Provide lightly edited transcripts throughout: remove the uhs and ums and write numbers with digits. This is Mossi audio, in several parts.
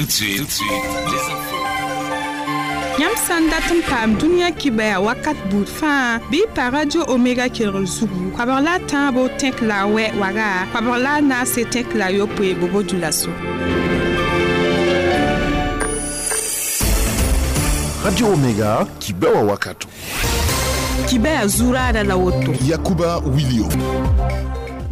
Tout de suite, tout de suite, les infos. Yãmb sã n dat n paam dũniyã kibaya wakat buud fãa bɩ y pa Radio Omega kelgr zugu koabg la a tãabo tẽk la a wɛ waga koabg la a naase tẽk la a yopoe bobo dulaso. Radio Omega kibewa wakato. Kibaya zuraada la woto. Yakuba William.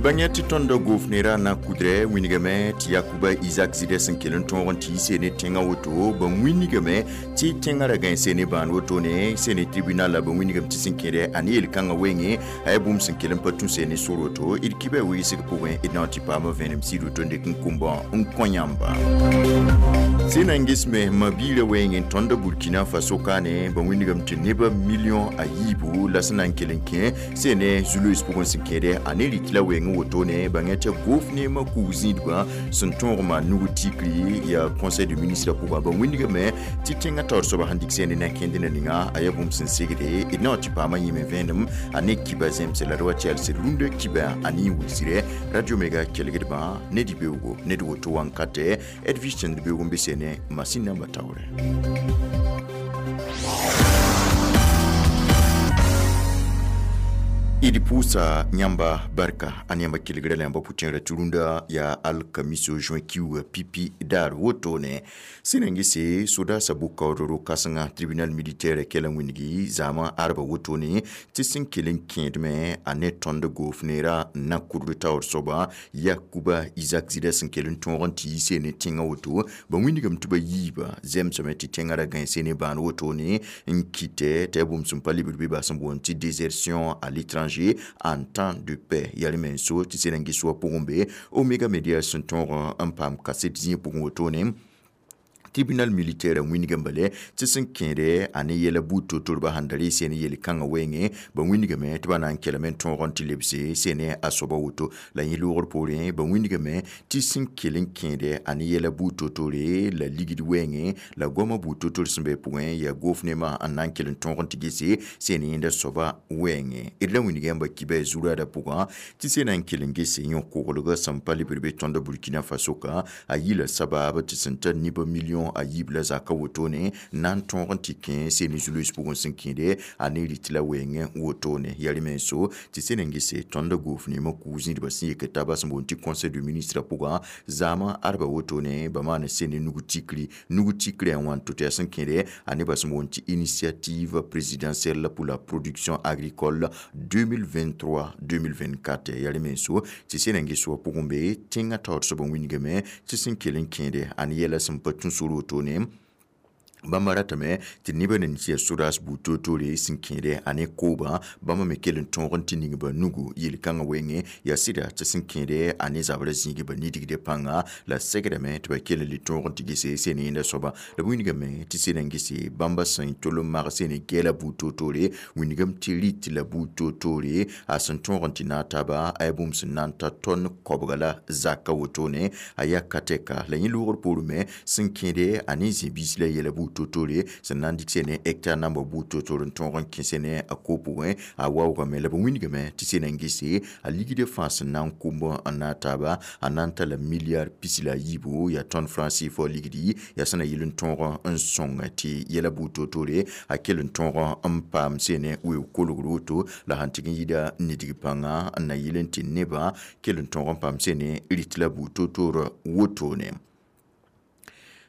Bãng tɩ tõnd gofnera na kudrɛ wĩnigame tɩ Yakuba Isaac zɩdɛ sẽn kell n tõog n tɩ yi ne tẽngã woto bã wĩnigame tɩ tẽngã ra gãe ne bãan wotone sene tribunal la bã wĩnigame tɩ sẽn kẽdɛ a ne yel-kãngã wenge a yaa bũmb sẽn kell n pa tũ sene sor woto d kibã wigsg pʋgẽ d na n tɩ paama vẽenem sɩd woto n dɩk n kũmbã n kõ yãmba. Sẽn na n gesme ma-biirã weng n tõnd Burkina Faso kaane bã wĩnigame tɩ nebã million a yiibu la sẽn na n kell n kẽ sene zu-loees pʋgẽ sẽn kẽdɛ a ne rɩt la weng wotone bãng tɩ gof neemã kug zĩidbã sẽn tõog maan nug tikri yaa conseil de ministre pʋgã ba wĩnigame tɩ tẽngã taoor soaba sẽn dɩk sẽne na kẽnd na ninga a yaa bũmb sẽn segde d na wa tɩ paamã yĩme vẽenem a ne kiba zẽmse la d wa tɩ yalsd rũndã kiba a ne wilsrɛ Radio Mega kelgdbã ne dɩ-beoogo ned woto wãnkatɛ d vis tẽnd beoog n be sene masin namba taoorɛ. D pʋʋsa yãmba barka a yãmba kelgra la yãmba pʋtẽerã tɩ rũndã yaa alkamiso juin kiuugã pipi daar wotone sẽn na n gese sodaasã bʋ-kaoodr ro-kãsenga tribunal militaire kɛla wĩngi zaamã arba wotone tɩ sẽn kell n kẽedme a ne tõnd goofneera n na kudr taoor soaba Yakuba Isaac Zida sẽn kell n tõog n tɩ yi sene tẽngã woto ba wĩnigame tɩ ba yiiba zemsame tɩ tẽngã ra gãe sene bãan wotone n kɩtɛ tɩ yaa bũmb sẽn pa lebd bɩ ba sẽn boond tɩ désertion à l'étranger en temps de paix yalme so tɩ sẽn n ges wa pʋgẽ be Omega Media sẽn tõog n paam kaset zĩig pʋgẽ wotone tribunal militaire wĩnigame bale tɩ sẽn kẽede a ne yɛla buud to-torba sẽn da ree sene yel-kãngã wenge ba wĩnigame tɩ ba na n kelme n tõog n tɩ lebse sene a soaba woto la yẽ loogr poorẽ ba wĩnigame tɩ sẽn kell n kẽede a ne yɛla buud to-tore la ligd wenge la goamã buud to-tor sẽn be pʋgẽ yaa goof nemã n na n kell n tõog n tɩ gese sene yẽnda soaba wenge d la wĩnig yãmba kiba zuraada pʋgã tɩ sẽn na n kell n gese yõ-koglgã sẽn pa lebd be tõnd Burkina Faso ka a yila sabaab tɩ sẽn tar nebã million a yiib la zaka wotone na n tõog n tɩ kẽ sene zu-loees pʋgẽ sẽn kẽede a ne rɩt la weng wotone yalme so tɩ sẽn n gese tõnd goof neemã kug zĩidbã sẽn yek taaba sẽn boond tɩ conseil de ministre pʋgã zaamã arba wotone ba maan sene nug tikri nug tikri a wãn to tɩ yaa sẽn kẽede a nebã sẽn boond tɩ initiative présidentielle pour la production agricole 2023-2024 yalme so tɩ sẽn n ges wa pʋgẽ be tẽngã taoor soab n wĩnigame tɩ sẽn kell n kẽede a ne yɛla sẽn pa tũ sor wotone bãmba ratame tɩ nebã nan tɩ yaa sodaas buud toor-toore sẽn kẽede a ne koobã bãmba me kell n tõog n tɩ ning ba nugu yel-kãngã wenge yaa sɩda tɩ sẽn kẽede a ne zabrã zĩig ba nidgde pãnga la segrame tɩ ba kell n le tõog n tɩ gese sene yẽnda soaba la b wĩnigame tɩ sẽn n gese bãmba sẽn tol n mag sene gɛɛla buud toor-toore wĩnigame tɩ rɩt la buud toor-toore a sẽn tõog n tɩ naag taaba a yaa bũmb sẽn na n ta tõnd koabga la zaka wotone a yaa ka tɛka la yẽ loogr poorẽ me sẽn kẽede a ne zĩ-biis la yɛla buud to-tore sẽn na n dɩk sene hectare namba buud to-tor n tõog n kẽ sene a ko pʋgẽ a waoogame la b wĩnigame tɩ sẽn n gese a ligdã fãa sẽn na n kʋmb n naag taaba a na n tala milliard pis la a yiibu yaa tõnd franc CFA ligdi yaa sẽn na yɩl n tõog n sõng tɩ yɛla buud to-tore a kell n tõog n paam sene weoog kolgr woto la sãn tɩg n yɩda nidg pãnga n na yɩl n tɩ nebã kell n tõog n paam sene rɩt la buud to-tor wotone.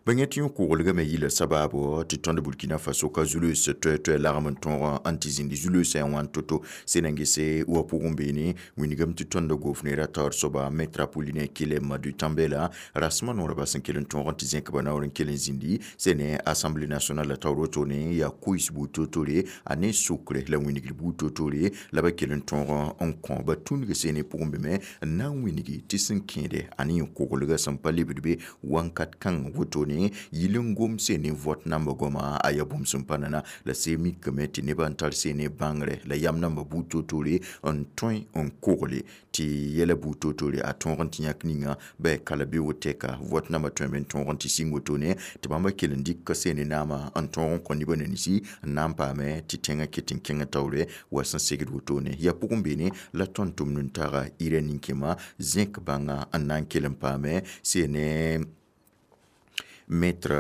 Bãng tɩ yõ-koglgame yɩla sabaabo tɩ tõnd Burkina Faso ka zu-loees toɛ-toɛ lagm n tõog n tɩ zĩnd zu-loeesã yaa wãn to-to sẽn na n gese wa pʋgẽ beene wĩnigame tɩ tõnd goofneera taoor soaba maître Apollinaire Kele Madu Tambela rasmã noorba sẽn kell n tõog n tɩ zẽk ba naoor n kell n zĩndi sẽne Assemblée nationale la taoor wotone yaa koees buud to-tore a ne sokre la wĩnigr buud to-tore la ba kell n tõog n kõ ba tũnug sene pʋgẽ be me n na n wĩnigi tɩ sẽn kẽede a ne yõ-koglgã sẽn pa lebd be wãnkat kãng wotone yɩl n gom sene vote namba goama a yaa bũmb sẽn pa nana la see mikame tɩ nebã n tar sene bãngre la yam namba buud to-tore n tõe n kogle tɩ yɛla buud to-tore a tõog n tɩ yãk ninga ba yaa kala beoog tɛka vote namba tõeme n tõog n tɩ sɩng wotone tɩ bãmba kell n dɩk sene naamã n tõog n kõ nebã nanisi n na n paame tɩ tẽngã ket n kẽngã taoore wa sẽn segd wotone yaa pʋgẽ beene la tõnd tʋmd n taga ɩrã nin-kẽma zẽk bãnga n na n kell n paame sene Maître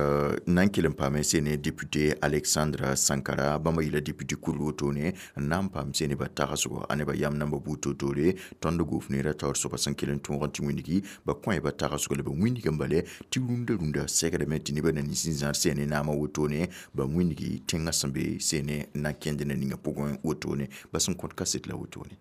nan kell n paame sene député Alexandre Sankara bãmba yɩla député kurg wotone n na n paam sene ba tagsgo a nebã yam namba buud toor-toore tõnd goofneerã taoor soaba sẽn kell n tõog n tɩ wĩndgi ba kõ ba tagsgo la ba wĩndg n bale tɩ rũndã rũndã segdame tɩ nebã na nins n zãr sene naamã wotone ba wĩndgi tẽngã sẽn be sene na n kẽnd na ninga pʋgẽ wotone ba sẽn kõt kaset la wotone.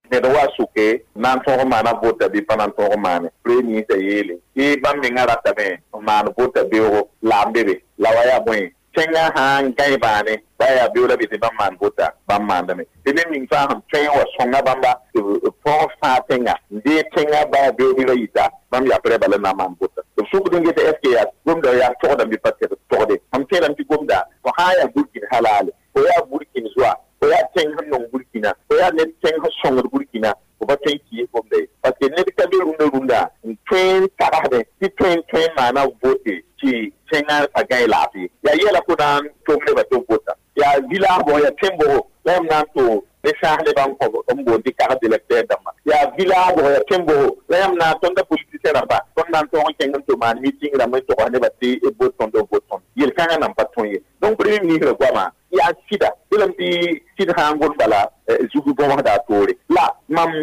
Ned wa sʋke na n tõog n maana vota bɩ pa na n tõog n maane premier ministre yeele tɩ bãmb mengã ratame n maan vota beoogo la n be be la wa yaa bõe tẽngã sã n gãe bãane ba yaa beoog la bɩ tɩ bãmb maan vota bãmb maandame tɩ ned ning fãa sẽn tõe n wa sõnga bãmba tɩ b tõog fãa tẽnga n dee tẽngã ba yaa beoog bɩ ra yita bãmb yaprɛ bala na n maan vota b sʋkd n geta est ce que yaa gomda yaa togdame bɩ pa togde mam tẽedame tɩ gomda fo sã n yaa Burkina halaale fo yaa Burkina zoa fo yaa tẽng sẽn nong Burkina fo yaa ned tẽng sẽn sõngd Burkina fo pa tõe n kiis gomda ye parce que ned ka be rũndã rũndã n tõe n tagsdẽ tɩ tõe n tõe n maana vote tɩ tẽngã pa gãe laafɩ yaa yɛla fo na n tom nebã tɩ b vota yaa village bʋg yaa tẽn bʋgo la yãmb na n to ne sãas nebã n boond tɩ carte d'électeur dãmba yaa village bʋg yaa tẽn bʋgo la yãmb na tõnda politicien rãmba tõnd na n tõog n kẽng n tɩ maan meeting rãmb n togs nebã tɩ b bot tõnd b bot tõnd yel-kãngã nan pa tõe ye donc premier ministre goamã yaa sɩda bɩlame tɩ sɩd sã n gom bala zug bõmsda a toore la mam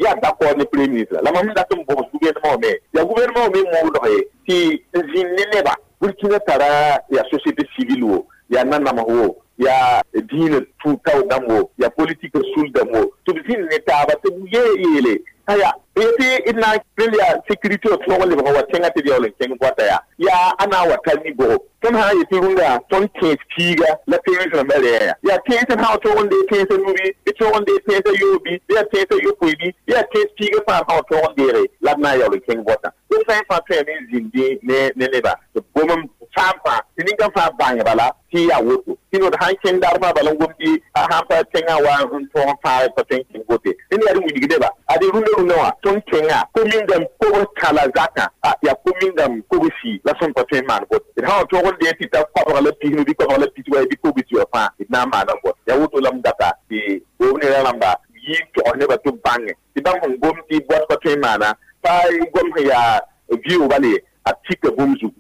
yaa d'accord ne premier ministre la mam dat n bõgs gouvernement wã me yaa gouvernement wã me moodg ye tɩ n zĩnd ne nebã Burkina tara yaa société civile wo yaa nanams wo yaa diinã tũ-tao dãmb wo yaa politique sul dãmb wo tɩ b zĩnd ne taaba tɩ b yeele aya tɩ d na n rẽnd yaa sécurité wã tõog n lebg wa tẽngã tɩ d yaool n kẽng bɔta yaa yaa a na n wa tar ni-bʋgo tõnd sã n yetɩ rũndã tõnd tẽes piiga la tẽes rãmbã rɛɛ yaa tẽes sã n tõog n dee tẽesã nubi bɩ tõog n dee tẽesã yoobi bɩ yaa tẽesã yopoe bɩ yaa tẽes piiga fãa sã n tõog n deege la d na n yaool n kẽng bɔtã d sã n fãa tõeme n zĩndi ne neba tɩ gom n fãa fãa tɩ nin-kãng fãa bãng bala tɩ yaa woto tɩ nod sãn kẽng daar fãa bala n gom tɩ sãn pa tẽngã wa n tõog n fãag pa tõe n kẽng vote rẽnd yaa d wilgdeba ad rũndã rũndã wã tõnd kẽngã commune dãmb kobs kã la zakã yaa commune dãmb kobs-si la sẽn pa tõe n maan vote d sã n tõog n dee tɩ ta koabg la pisnu bɩ koabg la pis wa bɩ kobs wã fãa d na n maana vot yaa woto la m data tɩ goofneerã rãmba yɩ n togs nebã tɩ b bãnge tɩ bãmb sẽn gom tɩ bɔt pa tõe n maana pa gom sẽn yaa vɩʋʋg bale a tika bũmb zugu.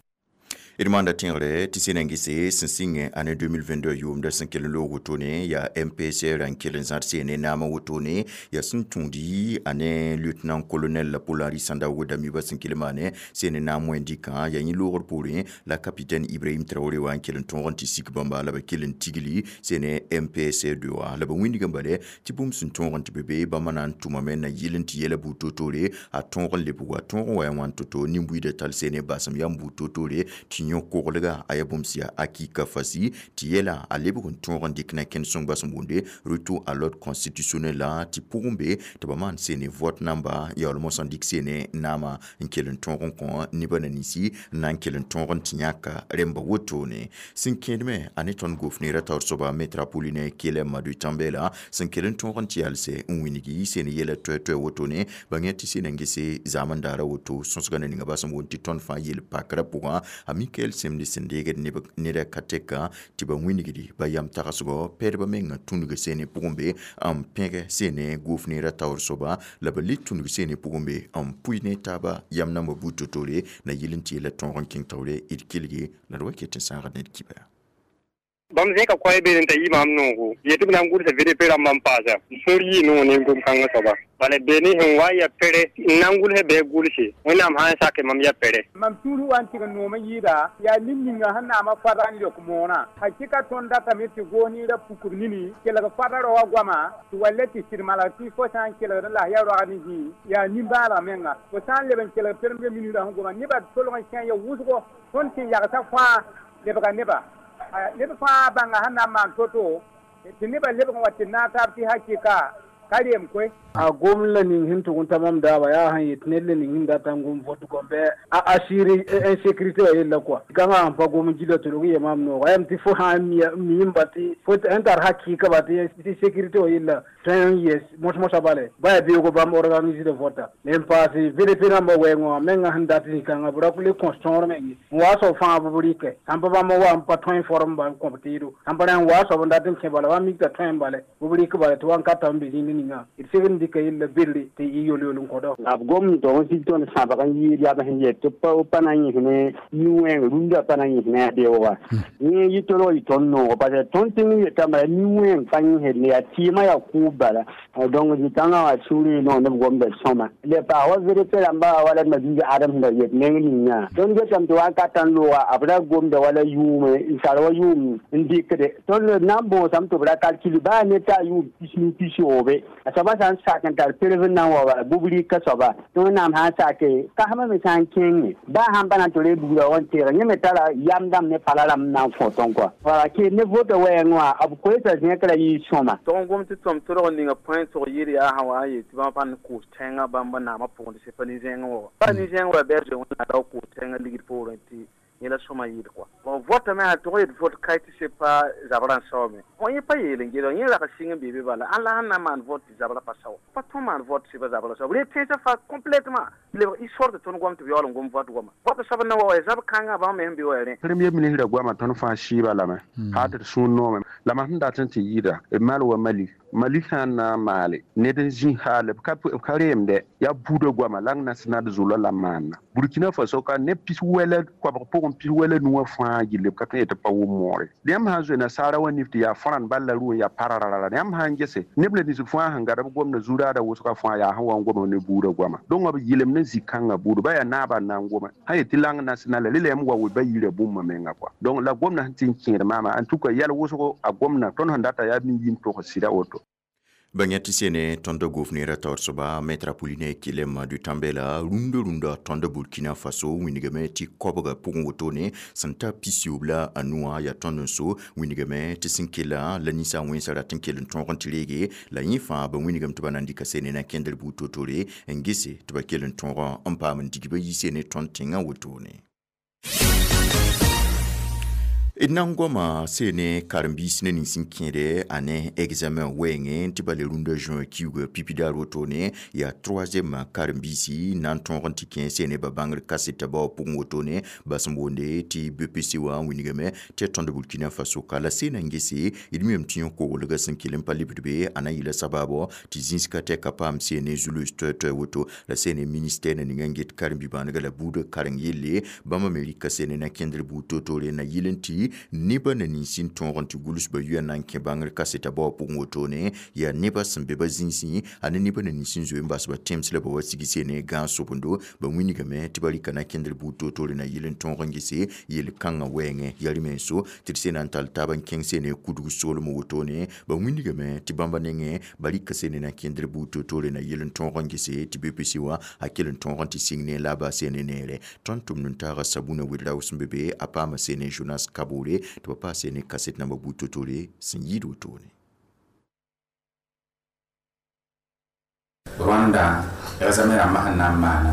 D maanda tẽegre tɩ sẽn na n gese sẽn sɩngẽ ane 2022 yʋʋmda sẽn kell n loog wotone yaa MPSR n kell n zãd seene naamã wotone yaa sẽn tũudi ane lieutenant colonel Paul-Henri Sandaogo Damiba sẽn kell n maane seene naam wẽnd-dɩkã yaa yẽ loogr poorẽ la capitaine Ibrahim Traoré wã n kell n tõog n tɩ sik bãmba la ba kell n tigli seene MPSR 2 wã la ba wĩndg n bale tɩ bũmb sẽn tõog n tɩ be be bãmba na n tʋmame na yɩl n tɩ yɛla buud toor-toore a tõog n lebg a tõog n wa ya wãn to-to nin-buiidã tall seene basem yam buud toor-toore tɩ yõ koglga a yaa bũmb sẽn yaa akika fasi tɩ yɛla a lebg n tõog n dɩk na kẽnd sõngba sẽn boonde retour à l'ordre constitutionnel la tɩ pʋgẽ be tɩ ba maan seene vote namba yaool mosã n dɩk seene naamã n kell n tõog n kõ nebã na ninsi n na n kell n tõog n tɩ yãka rẽmba wotone sẽn kẽedme a ne tõnd gofneerã taoor soaba maître Apollinaire Kyelem Madu Tambela sẽn kell n tõog n tɩ yalse n wĩngi seen yɛla toɛ-toɛ wotone ba yẽ tɩ seen n gese zaam n daara woto sõsgã na ninga ba sẽn boond tɩ tõnd fãa yel pakrã pʋgã a Michael Semdi sẽn deegd neda ka tɛka tɩ ba wĩnigdi ba yam tagsgɔ pɛdba mengã tũnug seene pʋgẽ be n pẽgɛ seene goofneerã taoor soaba la ba le tũnug seene pʋgẽ be n pʋɩ ne taaba yam namba buud to-toore na yɩl n tɩ yella tõog n kẽng taoore d kelge la d wa ket n sãagd ned kibã. Bãmb zẽka koɛɛ beene t'a yɩ maam noogo yetɩ b na n gʋlsa VDP rãmbã n paasa sũur yɩ noog ne gom-kãngã soaba bala beene sẽn wa n ya pere n na n gʋlsɛ bɩ gʋlse Wẽnnaam sã n sake mam ya pere. Mam sũur wa n tɩg n noom n yɩɩda yaa nin-ninga sẽn naamã fada n leok moonã hakɩka tõnd datame tɩ goos niirã pukb nini kelg fada rao wã goama tɩ wa le tɩ sɩd malg tɩ fo sã n kelgd n las yaa roag ne zĩig yaa nimbãaneg menga fo sã n leb n kelg premier ministre sẽn goma nebã tolg n kẽ ya wʋsgo tõnd sẽn yagsã fãa lebga neba neb fãa bãnga sẽn na n maan to-to tɩ nebã lebg n wa tɩ naag taab tɩ hakɩka ka reem koe. A gom la ning sẽn tʋg n ta mam daaba yaa sẽn yet ned la ning sẽn dat n gom vot gom bɩ a assurer insécurité wã yella kɔa gãngã sẽn pa gom n gila tɩ rog n yee maam nooga yam tɩ fo sã n miim ba tɩ fo sẽn tar hakɩɩka ba tɩ sécurité wã yella tõe n yes mos-mosã bale ba yaa beoogo bãmb organise de vota n paase VDP rãmbã wɛɛngã wã mengã sẽn dat zĩ-kãngã b ra le kõs tõor meng ye n wa soab fãa b rɩkɛ sãn pa bãmb wa n pa tõe n form ba n kõb teedo sãn pa rã n wa soab n dat n kẽ bala wa mik t'a tõe n bale b rɩk bala tɩ wa n ka ta n be zĩnd. ninga d segd n dɩka yella berre tɩ y yol-yol n kõda b gom tog n sig tõnd sãbg n yɩɩd yaa b sẽn yet tɩ pa na n yĩs ne nin-wẽeng rũndã pa na n yĩs ne a beooga yẽ yɩ tolg yɩ tõnd noogo parce que tõnd tẽng yetame yaa nin-wẽeng pa yĩsd ne yaa tɩɩmã yaa kʋʋb bala donc zĩ-kãngã wã sũurẽ noog ne b gomda sõma le paas wa VDP rãmba wala d mabiig Adams sẽn da yet neng ninga tõnd getame tɩ wakat n looga b ra gomda wala yʋʋme n sar wa yʋʋm n dɩkde tõnd na n bõosame tɩ b ra kalkil baa ne t'a yʋʋm pisnu pisoobe a soaba sã n sak n tar perv n na n wa bala bʋb rɩka soaba tɩ Wẽnnaam sã n sake kasmã me sã n kẽnge baa sãn pa na n tɩ reeg buudã wa n teeg yẽ me tara yam dãmb ne pala rãmb n na n fõ tõnd kɔa wala kee ne vota wɛɛngẽ wã b koeesa zẽk ra yɩ sõma tog n gom tɩ tõm tolg n ninga põe tog yɩɩd yaa sã wa n yeel tɩ bãmb pa n koos tẽngã bãmb naamã pʋgẽ tɩ pa nin-zẽngẽ wa pa nin-zẽng wa bɩ a zoe Wẽnnaam ra wa koos tẽngã ligd poorẽ tɩ yẽ la sõma yɩɩd kɔa bon votame sã tog yet vot kae tɩ se pa zabrã n saoome fõ yẽ pa yeel n geda yẽ rag sɩng n bee be bala ãn la sẽn na n maan vot tɩ zabrã pa sao pa tõn maan vot tɩ pa zabrã sao b ree tẽnsã fa complètement lebg histoire tɩ tõnd goam tɩ b yaool n gom vot goama vot soab n na wa wa zab kãngã bãmb me sẽn be wa rẽ premier ministre goama tõnd fãa sɩɩba lame haa tɩ d sũur noome la mam sẽn dat n tɩ yɩɩda b mal wa Mali Mali sã n na n maale ned n zĩ haal b ka reemdɛ yaa buudã goama la national zulã la maanna Burkina Faso ka ne pis wɛla koabg pʋgẽ pis wɛla nuwã fãa gilli b ka tõe n yetɩ pa wʋm moore yãmb sã n zoe nasaara wã nif tɩ yaa fãrãnd bal la rʋ n yaa parararara yãmb sã n gese neb la nins fãa sẽn gad b gomda zu-raada wʋsgã fãa yaa sẽn wa n gom ne buudã goama donc b yɩlem ne zĩ-kãngã buud ba yaa naabã n na n goma sã yetɩ lang national rela yãmb wa we ba yira bũmba menga kɔa donc la gomda sẽn tɩ n kẽed maama en tout cas yɛl wʋsgo a gomna tõnd sẽn data yaa mi yim tog sɩda woto. Bãng tɩ sene tõnd gofneerã taoor soaba maître Apollinaire Kyelem de Tambèla rũndã rũndã tõnd Burkina Faso wĩnigame tɩ koabga pʋgẽ wotone sẽn ta pisiyoob la a nuwã yaa tõnd n so wĩnigame tɩ sẽn kella la ninsaal wẽnsã rat n kell n tõog n tɩ reege la yẽ fãa ba wĩnigame tɩ ba na n dɩka sene na kẽndr buud to-tore n gese tɩ ba kell n tõog n paam n dig ba yi sene tõnd tẽngã wotone. D na n goama sene karen-biis ne nins n kẽede a ne examen wɛɛngẽ tɩ ba le rũndã juin kiuugã pipi daar wotone yaa troisième karen-biisi na n tõog n tɩ kẽ sene ba bãngr kaseta bao pʋgẽ wotone bas n boonde tɩ BPC wã n wingame tɩ tõnd Burkina Faso ka la sena n gese d miame tɩ yõ koglga sẽn kell n pa lebd be a na yɩla sabaabɔ tɩ zĩisga tɛka paam sene zu-loees toɛ-toɛ woto la sene ministère na ninga n get karen-bi-bãanega la buudã karen yelle bãmba me rɩka sene na kẽndr buud to-tore na yɩl n tɩ neba na nins n tõog n tɩ gʋls ba yʋa na n kẽ bãngr kaseta bao pʋgẽ wotone yaa neba sẽn be ba zĩisẽ a ne neba na nins n zoe n bas ba tẽms la ba wa sig sene gãag sobendo ba wĩnigame tɩ ba rɩka na kẽndr buud to-tore na yɩl n tõog n gese yel-kãngã wɛɛngẽ yaa rɩ-menso tɩ d sena n tall taab n kẽng sene kudg soolem wotone ba wĩnigame tɩ bãmba nengẽ ba rɩka sene na kẽndr buud to-tore na yɩl n tõog n gese tɩ BPC wã a kell n tõog n tɩ sɩng ne la a baa sene neere tõnd tʋmd n taaga Sabuna Wedrao sẽn be be a paama sene Jonas Kabore tɩ ba paas sene kaset namba buud to-tore sẽn yɩɩd wotone. Rwanda examen rãmbã sẽn na n maana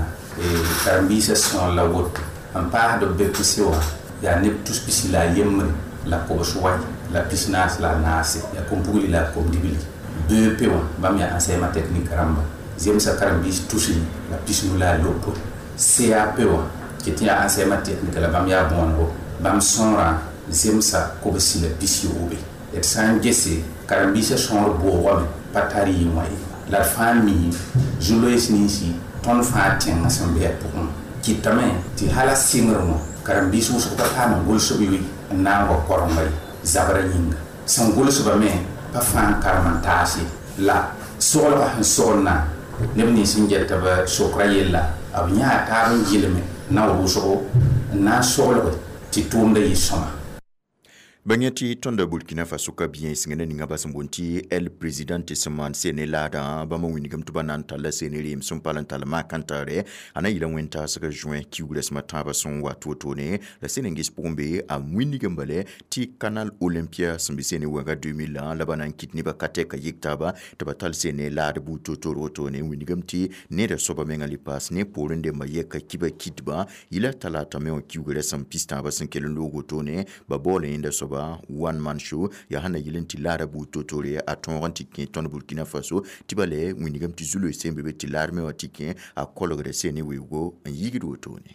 karen-biisã sõor la woto n paasd b BPC wã yaa neb tus pisi la a yembre la kobs wai la pis naas la a naase yaa kom-pugli la a kom-dibli BEP wã bãmb yaa enseignement technique rãmba zemsa karen-biis tusri la pisnu la a lopo CAP wã tɩ tɩ yaa enseignement technique la bãmb yaa bõonego bãmb sõorã zemsa kobsi la pis yoobe d sã n gese karen-biisã sõor boogame pa tar yɩ wã ye la d fãa mi zu-loees ninsi tõnd fãa tẽngã sẽn be a pʋgẽ kɩtame tɩ hala sɩngr wã karen-biis wʋsg pa paam n gʋlsb yoe n na n wa korenga ye zabrã yĩnga sẽn gʋlsba me pa fãa n karem n taas ye la soglgã sẽn soglna neb nins n get b sokra yella b yãa taab n gɩlme na wʋsgo n na n soglge tɩ tʋʋmda yɩ sõma. Bãng tɩ tõnda Burkina Faso ka biẽsengã na ninga bas n boond tɩ el presidente sẽn maan sene laadã bãmba wĩnigame tɩ ba na n talla sene reem sẽn pal n tall maak-n-taare a na yɩla wẽn-taasga juin kiugrã sẽm a tãabã sẽn wat wotone la sene n ges pʋgẽ be a wĩnigame bale tɩ Canal Olympia sẽn be sene wɛnga 2000 la ba na n kɩt nebã ka tɛka yik taaba tɩ ba tall sene laad buud to-tore wotone wĩnigame tɩ neda soaba menga le paas ne poorẽ dẽmbã yɛka kiba kitbã yɩla talata me wã kiugrã sẽn pis tãabã sẽn kell n loog wotone ba baoola yẽnda soaba one man show yaa sẽn na yɩl n tɩ laada buud to-tore a tõog n tɩ kẽ tõnd Burkina Faso tɩ ba le wĩnigame tɩ zu-loees sẽn be be tɩ laad me wã tɩ kẽ a kolgda sene weoogo n yigd wotone.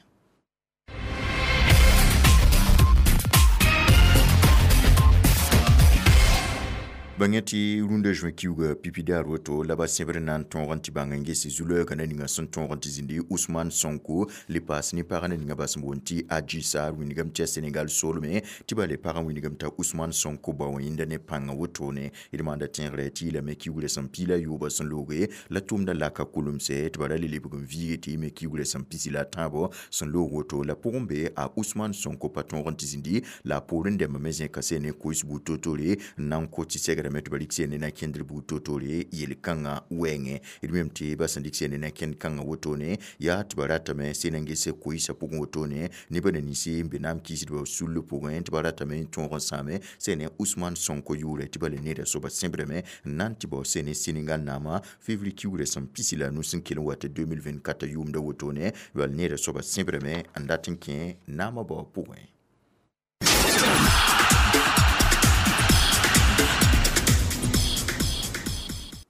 Bãng tɩ rũndã zoe kiuga pipi daar woto la ba sẽbr na n tõog n tɩ bãng n ges zu-loɛɛgã na ninga sẽn tõog n tɩ zĩndi Ousmane Sonko le paas ne pagã na ninga ba sẽn boond tɩ Adji Sarr wĩndgame tɩ yaa Senegal soolme tɩ ba le pagã wĩndgame t'a Ousmane Sonko bao yẽnda ne pãngã wotone. D maanda tẽegrã tɩ yɩlame kiugrã sẽn piila yoobã sẽn looge la tʋmdã laka kulemse tɩ ba ra le lebg n viige tɩ yɩme kiugrã sẽn pisi la a tãabo sẽn loog woto la pʋgẽ be a Ousmane Sonko pa tõog n tɩ zĩndi la a poorẽ dɛmba me zẽka sẽn ne koes buud toor-toore n na n ko tɩ segrame tɩ ba rɩk sẽn ne na kẽndr buud toor-toore yel-kãngã wɛɛngẽ. D mem tɩ ba sẽn dɩk sẽn ne na kẽnd kãngã wotone yaa tɩ ba ratame sẽn na n ges koɩsã pʋgẽ wotone nebã na ninse n be naam kiisdbã sull pʋgẽ tɩ ba ratame n tõog n sãame sẽn ne Ousmane Sonko yʋʋrɛ tɩ ba le needa soaba sẽbrame n na n tɩ bao sẽn ne Senegal naamã février kiugrã sẽn pisi la a nu sẽn kell n wat 2024 yʋʋmda wotone bal needa soaba sẽbrame n dat n kẽ naamã bao pʋgẽ.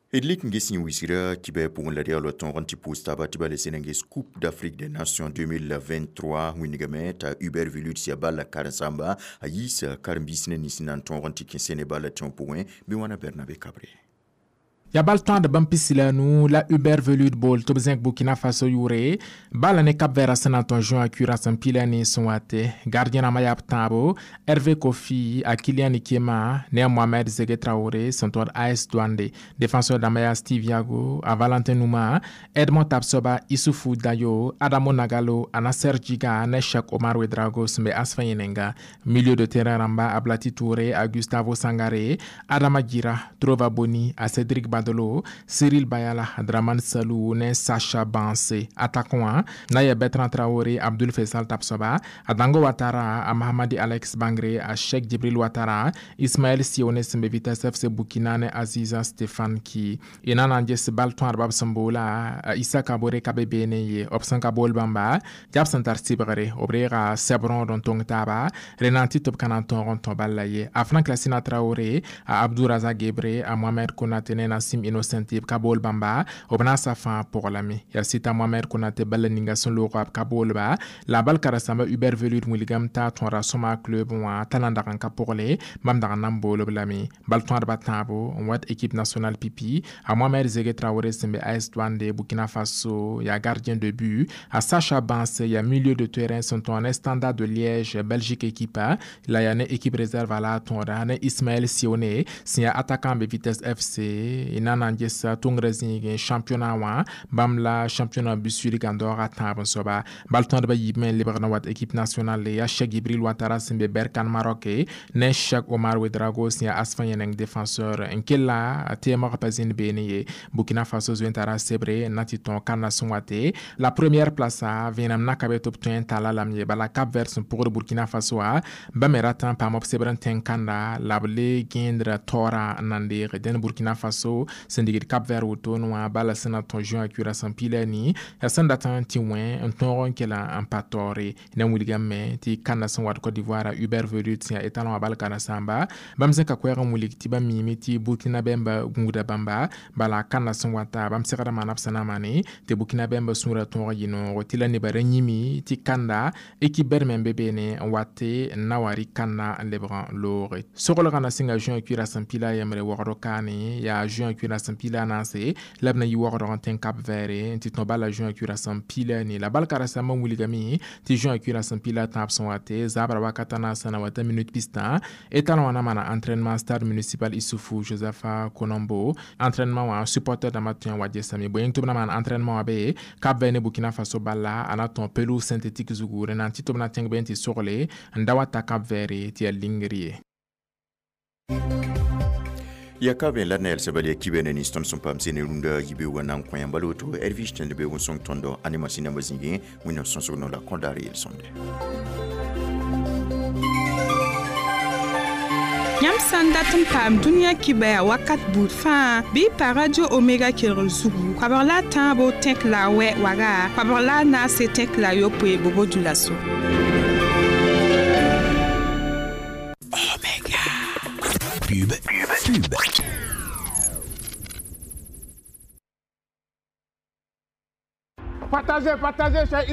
D lik n ges yẽ wisgra kibɛ pʋgẽ la reoolã tõog n tɩ pʋʋs taaba tɩ ba le sẽn n ges Coupe d'Afrique des Nations 2023 wĩndgame t'a Hubert Velud yaa bala karen-sãmba a yiisa karen-biis ne nins na n tõog n tɩ kẽ sẽne bala tẽo pʋgẽ bɩ wãna Bernabe Kabre. Ya bal tõad bãmb pisi la nu la Hubert Velud bool tɩ b zẽk Burkina Faso yʋʋre bala ne Cap Vert sẽn na n tõe juin a kura sẽn pila ne sẽn wate gardien rãmbã yaa b tãabo Hervé Kofi a Kilian Ikema ne a Mohamed Zege Traoré sẽn tõd AS Douane défenseur dãmbã yaa Steve Yago a Valentin Nouma Edmond Tapsoba Issoufou Dayo Adamo Nagalo a Nasser Djiga ne Cheikh Omar Ouedraogo sẽn be Asfa yẽnenga milieu de terrain rãmba a Blati Touré a Gustavo Sangare Adama Djira Trova Boni a Cédric Badolo, Cyril Bayala, Draman Salou, ne Sacha Banse, attaquant, Naya Bertrand Traoré, Abdul Faisal Tapsoba, Adango Ouattara, a Mahamadi Alex Bangré, a Cheikh Djibril Ouattara, Ismaël Sione Sembe Vitesse FC Burkina, ne Aziza Stéphane Ki. Ina nanjes bal tõad bab sẽn boola, Issa Kabore ka be beene ye, b sẽn ka bool bãmba, tɩ b sẽn tar sɩbgre, b reega sɛb rõod n tõng taaba, rẽ na n tɩ tɩ b ka na n tõog n tõ bal la ye. A Frank Lassina Traoré, a Abdou Razak Gebre, a Mohamed Konate ne Nassim Innocent b ka bool bãmba, b naasa fãa pʋg lame. Yaa sɩta Mohamed Konate bala ninga sẽn loog b ka boolba, la bal karen-sãmba Hubert Velud wilgame t'a tõora sõma club wã t'a na n dag n ka pʋgle, bãmb dag n na n bool-b lame. Bal tõadba tãabo n wat équipe nationale pipi, a Mohamed Zege Traoré sẽn be AS Douane Burkina Faso, yaa gardien de but, a Sacha Banse yaa milieu de terrain sẽn tõa ne Standard de Liège Belgique équipe, la yaa ne équipe réserve la tõoda ne Ismaël Sione sẽn yaa attaquant be Vitesse FC na n ges tʋngrã zĩigẽ championnat wã, bãmb la championnat busuig n daoog a tãab n soaba. Bal tõadba yiibme n lebg n wat équipe nationale yaa Cheikh Djibril Ouattara sẽn be Berkane Maroc ne Cheikh Omar Ouedraogo sẽn yaa Asfa yẽneng défenseur n kella teemg pa zĩnd beene ye. Burkina Faso zoe n tara sebre n na tɩ tõog kãnna sẽn wate la première place a vẽenem na ka be tɩ b tõe n talla lame ye, bala Cap Vert sẽn pʋgd Burkina Faso a bãmb me rat n paam b sebr n tẽng kãnda la b le gẽendra taoorã n na n deege. Dẽn Burkina Faso sẽn digd Cap Vert wotone wã bala sẽn na tõe juin a kura sẽn pila ni yaa sẽn dat n tɩ wẽ n tõog n kela n pa taoore. Na n wilgame tɩ kãnda sẽn wat Côte d'Ivoire a Hubert Velud sẽn yaa étalon wã bal karen-sãmba, bãmb zẽka koɛɛg n wilg tɩ bãmb miime tɩ Burkina bãmba gũuda bãmba, bala kãnda sẽn wata bãmb segrã maana b sẽn na n maane tɩ Burkina bãmba sũurã tõog n yɩ noogo tɩ la nebã ra yĩme tɩ kãnda équipe bɛd me n be beene n wate n na wa rɩk kãnda n lebg n looge. Soglgã na sɩnga juin kura sẽn pila yembre waoogd kaane yaa juin kura sẽn pila naase la b na yɩ waoogdg n tẽng Cap Vert n tɩ tõ bala juin kura sẽn pila ne. La bal karen-sãmbã n wilgame tɩ juin kura sẽn pila tãab sẽn wate zabrã wakata naasã na wata minute pistã étalon wã na maana entraînement stade municipal Issoufou Joseph Konombo. Entraînement wã supporter dãmbã tõe n wa gesame bõe tɩ b na maan entraînement wã be Cap Vert ne Burkina Faso bala a na tõog pelouse synthétique zugu rẽ na n tɩ tɩ b na tẽng be n tɩ sogle n da wa ta Cap Vert tɩ yaa lingr ye. Ya ka be la nel sabali kibe ne niston sẽn paam sẽne rũndã yibeoogã na n kõ yãmb bala woto Hervish tẽnd beoog n sõng tõndo ane masĩnã zĩigẽ Wẽnnaam sõsg no la kõdaar yel-sõmde. Yãmb sã n dat n paam dũniyã kibɛa wakat buud fãa bɩ y pa Radio Omega kelgr zugu koabg la a tãabo tẽk la a wɛ waga koabg la a naase tẽk la a yopoe bobo dulaso. Omega. Pub, pub, pub. Partagez, partagez, cher